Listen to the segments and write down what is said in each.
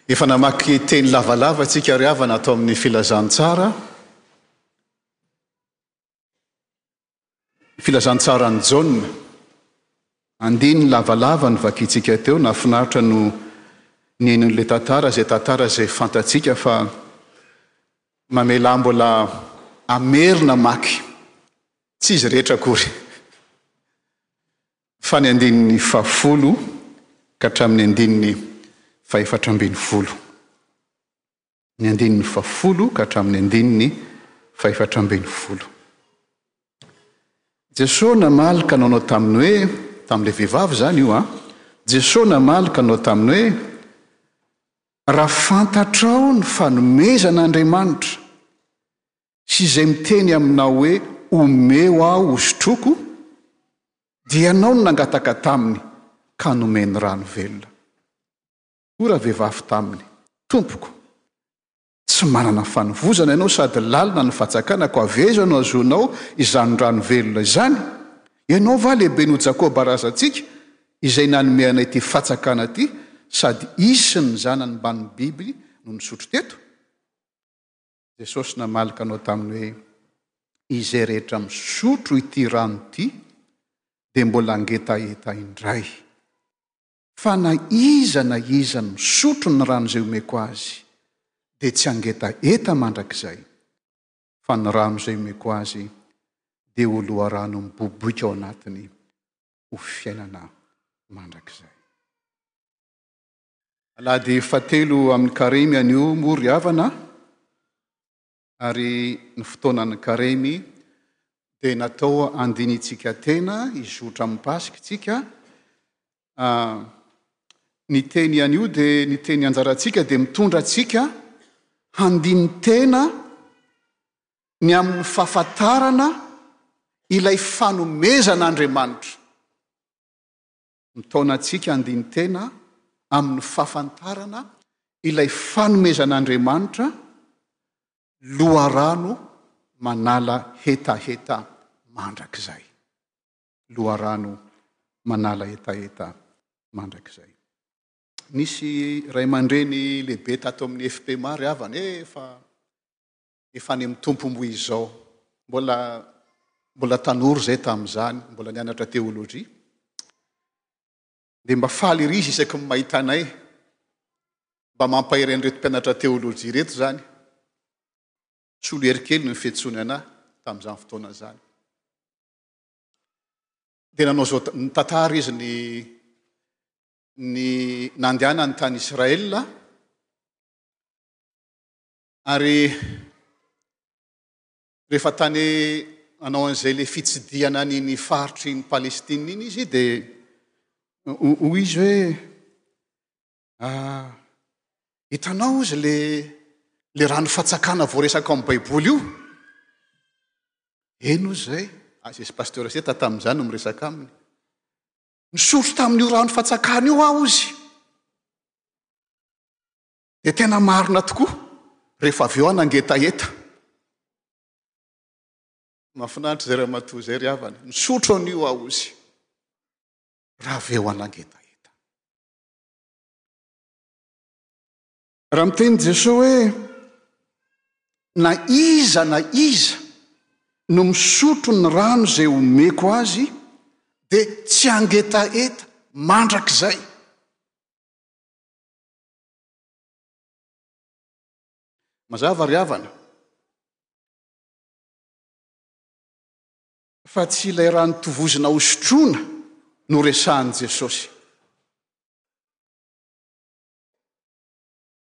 Efa namaky teny lavalava tsika ry havana ato amin'ny filazantsara. Filazantsaran'i Jaona. Andininy lavalava no vakintsika teo, nahafinaritra no nihaino an'ilay tantara, izay tantara izay fantatsika fa mamelà mbola hamerina mamaky, tsy izy rehetra akory, fa ny andininy fahafolo ka hatramin'ny andininy fahefatra ambin'ny folo. Ny andininy fahafolo ka hatramin'ny andininy fahefatra ambin'ny folo. Jesoa namaly ka nanao taminy hoe, tamin'ilay vehivavy izany io an, Jesoa namaly ka nanao taminy hoe, Raha fantatrao ny fanomezan'Andriamanitra sy izay miteny aminao hoe, Omeo aho hosotroiko, dia ianao no nangataka taminy ka nomeny rano velona. Hoy ravehivavy taminy, Tompoko, tsy manana fanovozana ianao sady lalina ny fatsakana, koa avy aiza no ahazoanao izany rano velona izany? Ianao va lehibe noho Jakoba razantsika, izay nanome anay ity fatsakana ity, sady izy sy ny zanany mbamin'ny biby no nisotro teto? Jesosy namaly ka nanao taminy hoe, Izay rehetra misotro ity rano ity dia mbola hangetaheta indray. Fa na iza na iza misotro ny rano izay omeko azy dia tsy hangetaheta mandrakizay, fa ny rano izay omeko azy dia ho loharano miboiboika ao anatiny ho fiainana mandrakizay. Alahady fahatelo amin'ny Karemy anio moa ry havana, ary ny fotoanan'ny Karemy dia natao handinitsika tena hizotra amin'ny Paska isika. Ny teny anio dia ny teny anjarantsika dia mitondra antsika handini-tena ny amin'ny fahafantarana ilay fanomezan'Andriamanitra. Mitaona antsika handini-tena amin'ny fahafantarana ilay fanomezan'Andriamanitra loharano manala hetaheta mandrakizay. Loharano manala hetaheta mandrakizay. Nisy ray aman-dreny lehibe tato amin'ny FPMA ry havana e, efa efa any amin'ny Tompo moa izao. Mbola mbola tanora izay tamin'izany, mbola nianatra teolojia. Dia mba faly ery izy isaky ny mahita anay. Mba mampahery an'ireto mpianatra teolojia ireto izany. Solo hery kely no fiantsoany anà tamin'izany fotoana izany. Dia nanao izao nitantara izy ny ny nandehanany tany Israël Ary rehefa tany hanao an'izay le fitsidihana an'iny faritry ny Palestine iny izy dia hoy izy hoe ah, hitanao izy le le rano fatsakana voaresaka ao amin'ny Baiboly io? Eny hoy izay, ah, izay pasteur Seta tamin'izany no miresaka aminy. Nisotro tamin'io rano fatsakana io aho izy. Dia tena marina tokoa, rehefa avy eo aho nangetaheta. Mahafinaritra izay ramatoa izay ry havana. Nisotro an'io aho ozy. Raha avy eo aho nangetaheta. Raha miteny Jesoa hoe na iza na iza no misotro ny rano izay omeko azy dia tsy hangetaheta mandrakizay. Mazava ry havana fa tsy ilay rano tovozina hosotroina no resahin'i Jesosy.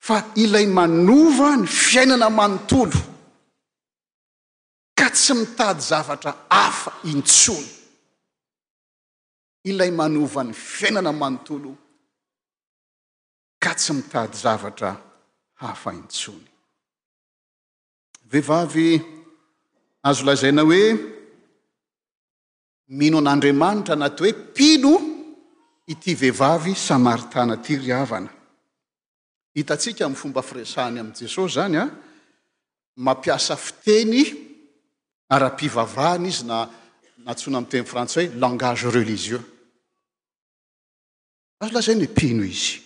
Fa ilay manova ny fiainana manontolo ka tsy mitady zavatra hafa intsony. Ilay manova ny fiainana manontolo ka tsy mitady zavatra hafa intsony. Vehivavy azo lazaina hoe mino an'Andriamanitra na toa hoe mpino ity vehivavy samaritana ity ry havana. Hitantsika amin'ny fomba firesahany amin'i Jesosy izany a, mampiasa fiteny ara-pivavahana izy na nantsoina amin'ny teny frantsay hoe langage religieux. Azo lazaina hoe mpino izy.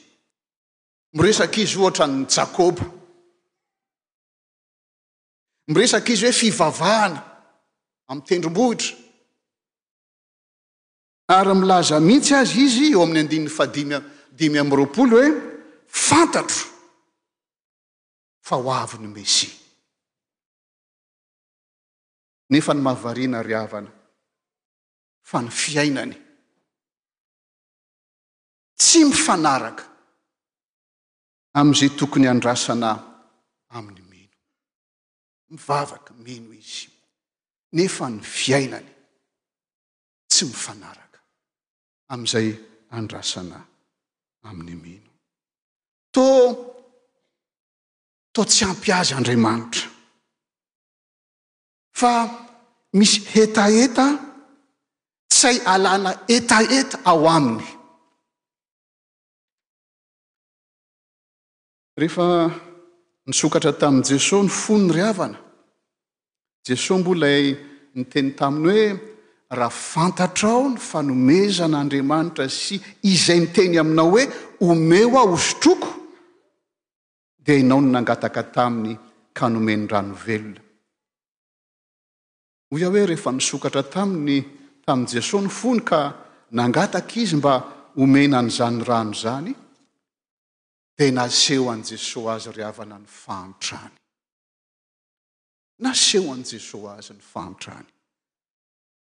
Miresaka izy ohatra an'i Jakoba. Miresaka izy hoe fivavahana amin'ny tendrombohitra. Ary milaza mihitsy aza izy eo amin'ny andininy fahadimy 25 hoe fantatro fa ho avy ny Mesia. Nefa ny mahavariana ry havana fa ny fiainany tsy mifanaraka amin'izay tokony andrasana amin'ny mino. Mivavaka mino izy, nefa ny fiainany tsy mifanaraka amin'izay andrasana amin'ny mino. Toa toa tsy ampy azy Andriamanitra. Fa misy hetaheta tsy hay alana hetaheta ao aminy. Rehefa nisokatra tamin'i Jesoa ny fony ry havana, Jesoa mbola ilay niteny taminy hoe, raha fantatrao ny fanomezan'Andriamanitra sy izay niteny aminao hoe, omeo aho hosotroiko, dia ianao no nangataka taminy ka nomeny rano velona. Hoy aho hoe rehefa nisokatra taminy tamin'i Jesoa ny fony ka nangataka izy mba homena an'izany rano izany, dia naseho an'i Jesoa azy ry havana ny fahantrany. Naseho an'i Jesoa azy ny fahantrany.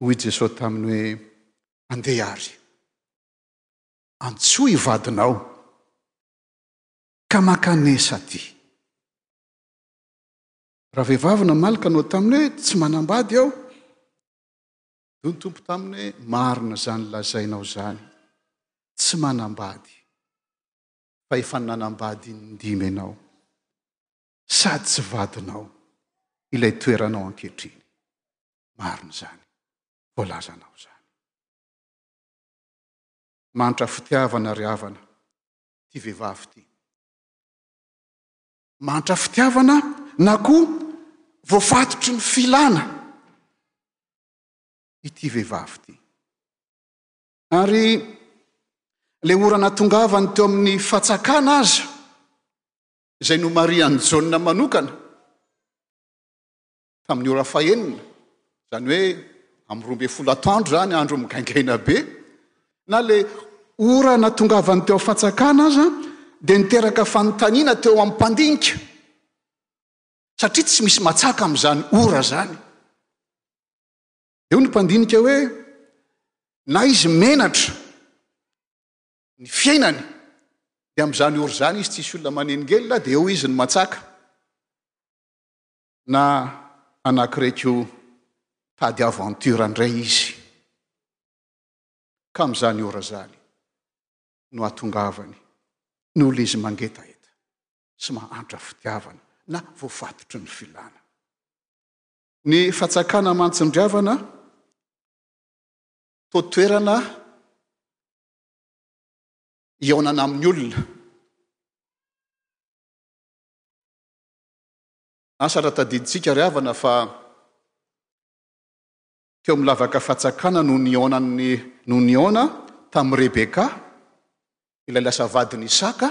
Hoy Jesoa taminy hoe, andeha ary, antsoy vadinao, ka mankanesa aty. Ravehivavy namaly ka nanao taminy hoe, Tsy manambady aho. Hoy ny Tompo taminy hoe, Marina izany lazainao izany, tsy manambady, fa efa nanambady indimy ianao, sady tsy vadinao ilay toeranao ankehitriny. Marina izany voalazanao izany. Mantra fitiavana ry havana ity vehivavy ity. Mantra fitiavana na koa voafatotry ny filana ity vehivavy ity. Ary ilay ora natongavany teo amin'ny fatsakana aza, izay nomarihan'i Jaona manokana, tamin'ny ora fahenina, izany hoe amin'ny 12 atoandro izany, andro migaingaina be, na ilay ora natongavany teo fatsakana aza, dia niteraka fanontaniana teo amin'ny mpandinika, satria tsy misy matsaka amin'izany ora izany. Eo ny mpandinika hoe na izy menatra ny fiainany, dia amin'izany ora izany izy tsisy olona manelingelina, dia eo izy no matsaka. Na anankiray koa tady aventure indray izy. Ka amin'izany ora izany no ahatongavany ny olona izy mangetaheta sy mahantra fitiavana na voafatotry ny filana. Ny fatsakana aman-tsindriavana toa toerana hihaonana amin'ny olona. Asa raha tadidintsika ry havana fa teo amin'ny lavaka fatsakana no nihaonan'ny no nihaona tamin'i Rebeka, ilay lasa vadin'i Isaka,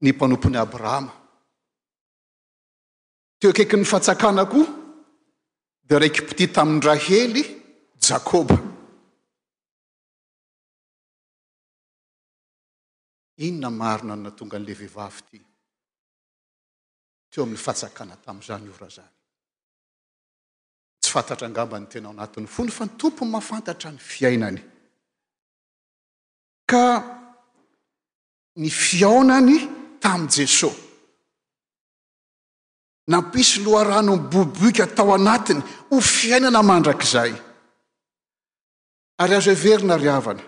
ny mpanompon'i Abrahama. Teo akaikin'ny fatsakana koa dia raiki-pitia tamin-dRahely Jakoba. Inona marina no nahatonga an'ilay vehivavy ity teo amin'ny fatsakana tamin'izany ora izany? Tsy fantatra angamba ny tena ao anatin'ny fony fa ny Tompo mahafantatra ny fiainany. Ka ny fihaonany tamin'i Jesosy Nampisy loharano miboiboika tao anatiny ho fiainana mandrakizay. Ary azo heverina ry havana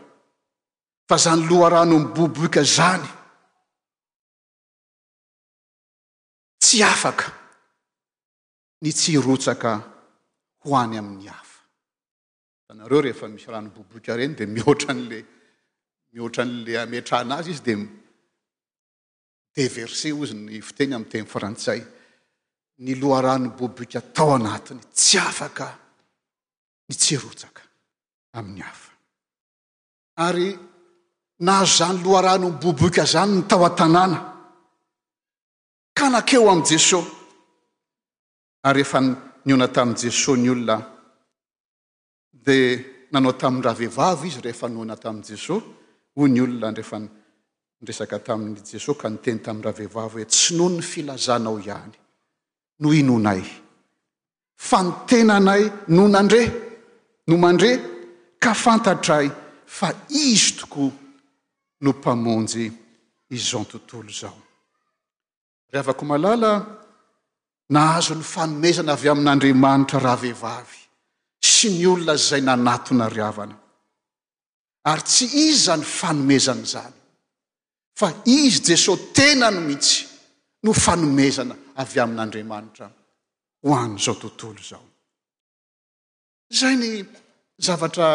fa izany loharano miboiboika izany tsy afaka ny tsy hirotsaka ho any amin'ny hafa. Hitanareo rehefa misy rano miboiboika ireny dia mihoatra an'le mihoatra an'le ametrahana azy izy dia Déverser hozy ny fiteny amin'ny teny frantsay. Ny loharano boboika tao anatiny tsy afaka ny tsy hirotsaka amin'ny hafa. Ary Nahazo izany loharano miboiboika izany ny tao an-tanàna, ka nankeo amin'i Jesoa. Ary rehefa nihaona tamin'i Jesoa ny olona, dia nanao tamin-dravehivavy izy rehefa nihaona tamin'i Jesoa, hoy ny olona rehefa niresaka tamin'i Jesoa ka niteny tamin-dravehivavy hoe, Tsy noho ny filazanao ihany no inoanay, fa ny tenanay no nandre, no mandre, ka fantatray fa Izy tokoa no Mpamonjy izao tontolo izao. Ry havako malala, nahazo ny fanomezana avy amin'Andriamanitra ravehivavy sy ny olona izay nanatona ry havana. Ary tsy iza ny fanomezana izany, fa Izy Jesoa tenany mihitsy no fanomezana avy amin'Andriamanitra ho an'izao tontolo izao. Izay ny zavatra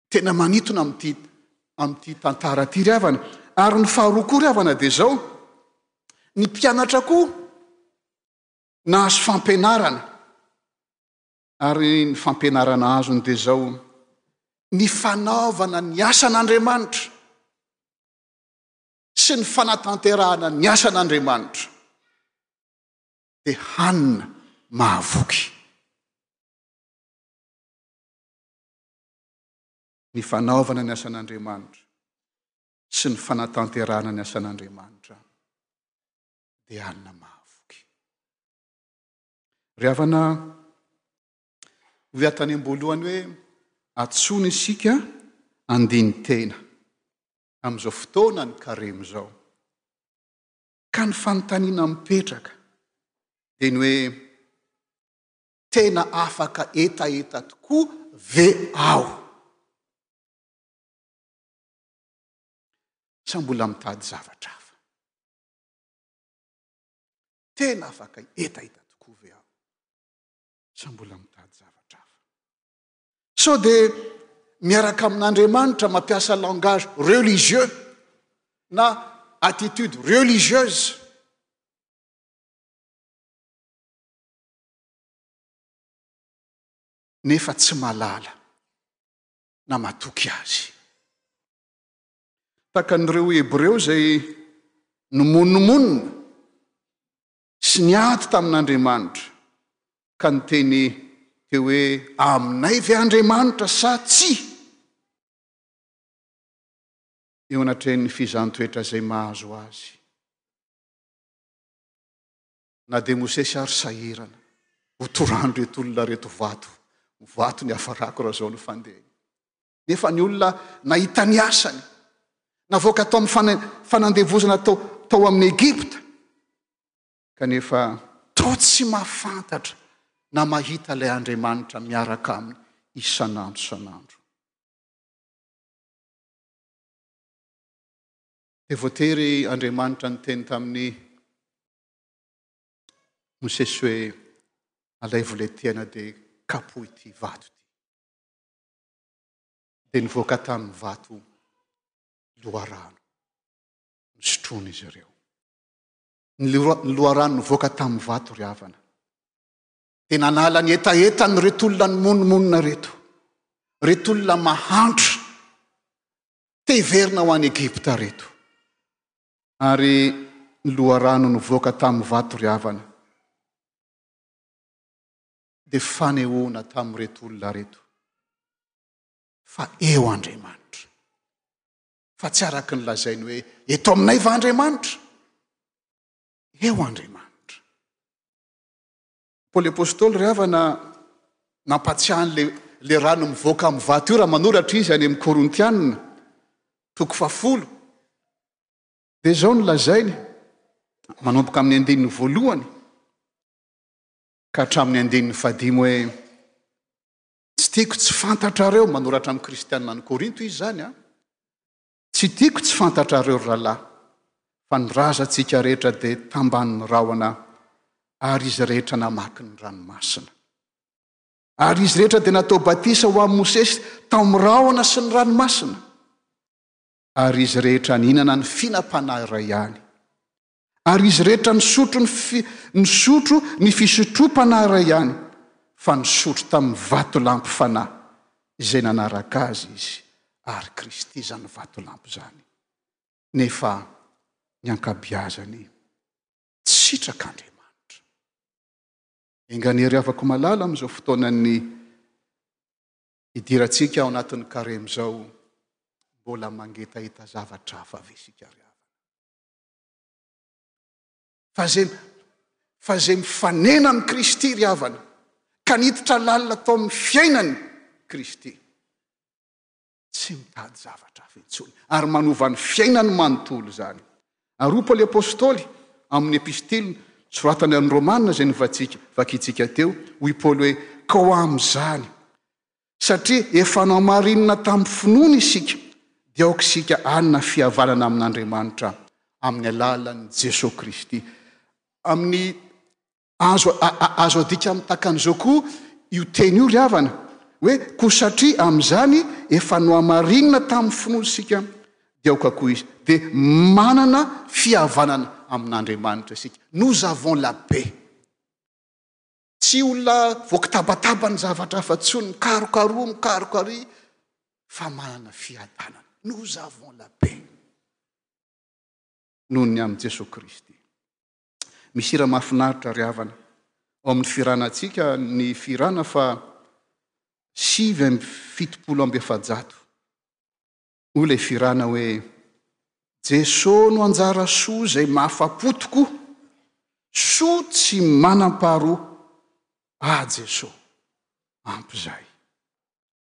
tena manintona amin'ity amin'ity tantara ity ry havana. Ary ny faharoa koa ry havana dia izao, ny mpianatra koa nahazo fampianarana. Ary ny fampianarana azony dia izao, ny fanaovana ny asan'Andriamanitra sy ny fanatanterahana ny asan'Andriamanitra dia hanina mahavoky. Ny fanaovana ny asan'Andriamanitra sy ny fanatanterahana ny asan'Andriamanitra dia hanina mahavoky. Ry havana, hoy aho tany am-boalohany hoe antsoina isika handini-tena amin'izao fotoana ny karemy izao. Ka ny fanontaniana mipetraka dia ny hoe tena afaka hetaheta tokoa ve aho? Sa mbola mitady zavatra hafa? Tena afaka hetaheta tokoa ve aho? Sa mbola mitady zavatra hafa? Sao dia miaraka amin'Andriamanitra mampiasa langage religieux na attitude religieuse nefa tsy malala na matoky azy. Tahaka an'ireo Hebreo izay nomonomonina sy niady tamin'Andriamanitra ka niteny teo hoe aminay ve Andriamanitra sa tsia? Eo anatrehan'ny fizahàn-toetra izay mahazo azy. Na dia Mosesy ary sahirana, ho toran'ireto olona ireto vato, vato ny hafarako raha izao no fandehany. Nefa ny olona nahita ny asany, navoaka tao amin'ny fanandevozana tao, tao amin'ny Egypta, kanefa toa tsy mahafantatra na mahita ilay Andriamanitra miaraka aminy isan'andro isan'andro. Dia voatery Andriamanitra niteny tamin'i Mosesy hoe, alaivo ilay tehana dia kapohy ity vato ity. Dia nivoaka tamin'ny vato loharano nosotroina izy ireo. Ny loharano nivoaka tamin'ny vato ry havana. Dia nanala ny hetahetan'ireto olona nimonomonona ireto. Ireto olona mahantra te hiverina ho any Egypta ireto. Ary ny loharano nivoaka tamin'ny vato ry havana dia fanehoana tamin'ireto olona ireto fa eo Andriamanitra. Fa tsy araka ny lazainy hoe eto aminay va Andriamanitra? Eo Andriamanitra. Paoly Apostoly ry havana nampatsiahy an'le le rano mivoaka amin'ny vato io raha manoratra izy any amin'ny Korintianina, toko fahafolo. Dia izao no lazainy, manomboka amin'ny andininy voalohany ka hatramin'ny andininy fahadimy hoe tsy tiako tsy fantatrareo, manoratra amin'ny kristianina any Korinto izy izany an, tsy tiako tsy fantatrareo ry rahalahy fa ny razantsika rehetra dia tambanin'ny rahona ary izy rehetra namaky ny ranomasina. Ary izy rehetra dia natao batisa ho amin'i Mosesy tao amin'ny rahona sy ny ranomasina. Ary izy rehetra nihinana ny fihinam-panahy iray ihany. Ary izy rehetra nisotro ny fi, nisotro ny fisotroam-panahy iray ihany, fa nisotro tamin'ny vatolampy fanahy. izay nanaraka azy izy, ary Kristy izany vatolampy izany. Nefa ny ankabiazany tsy sitrak'Andriamanitra. Enga anie ry havako malala amin'izao fotoanan'ny hidirantsika ao anatin'ny karemy izao, mbola mangetaheta zavatra hafa ve isika ry havana? Fa izay, fa izay mifanena amin'i Kristy ry havana, ka niditra lalina tao amin'ny fiainany Kristy, tsy mitady zavatra hafa intsony, ary manova ny fiainany manontolo izany. Ary hoy Paoly Apostoly amin'ny epistiliny soratany amin'ny Romana izay novatsika, vakintsika teo, hoy Paoly hoe, Koa amin'izany, Satria efa nohamarinina tamin'ny finoana isika, dia aoka isika hanana fihavanana amin'Andriamanitra amin'ny alalan'i Jesoa Kristy. Amin'ny azo azo adika amin'ny takan'izao koa io teny io ry havana, hoe koa satria amin'izany efa nohamarinina tamin'ny finoana isika, dia aoka koa izy dia manana fihavanana amin'Andriamanitra isika. Nous avons la paix. Tsy olona voakitabataba ny zavatra hafa intsony, mikaroka aroa, mikaroka ary, fa manana fiadanana. Nous avons la paix. Noho ny amin'i Jesoa Kristy. Misy hira mahafinaritra ry havana. Ao amin'ny firanantsika ny firana fa 479. Hoy ilay firana hoe, Jeso no anjara soa izay mahafa-po tokoa, soa tsy manam-paharoa, ah Jeso, ampy izay.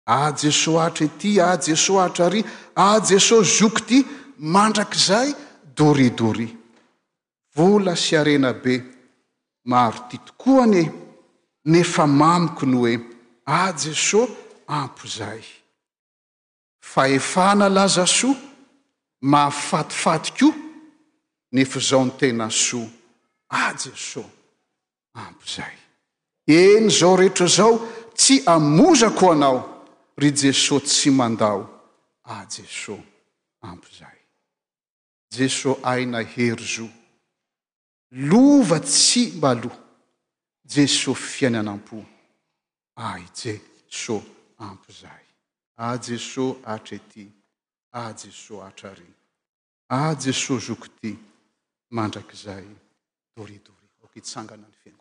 Ah Jeso Atra ety, ah Jeso Atra ary, ah Jeso zoky ty, mandrakizay doria doria. Vola sy harena be, maro ty tokoa anie, nefa mamiko ny hoe, ah Jeso, ampy izay. Fahefana laza soa, mahafatifaty koa, nefa izao no tena soa, ah Jeso, ampy izay. Eny izao rehetra izao tsy amozako Anao, ry Jeso tsy mandao, ah Jeso, ampy izay. Jeso aina hery zo, Lova tsy mba lo. Jeso fiainana am-po ahy Jeso ampy zahy Ah Jeso Atra ety Ah Jeso Atra ary Ah Jeso zoko ty mandrakizay doria doria. Aoka hitsangana ny fiangonana.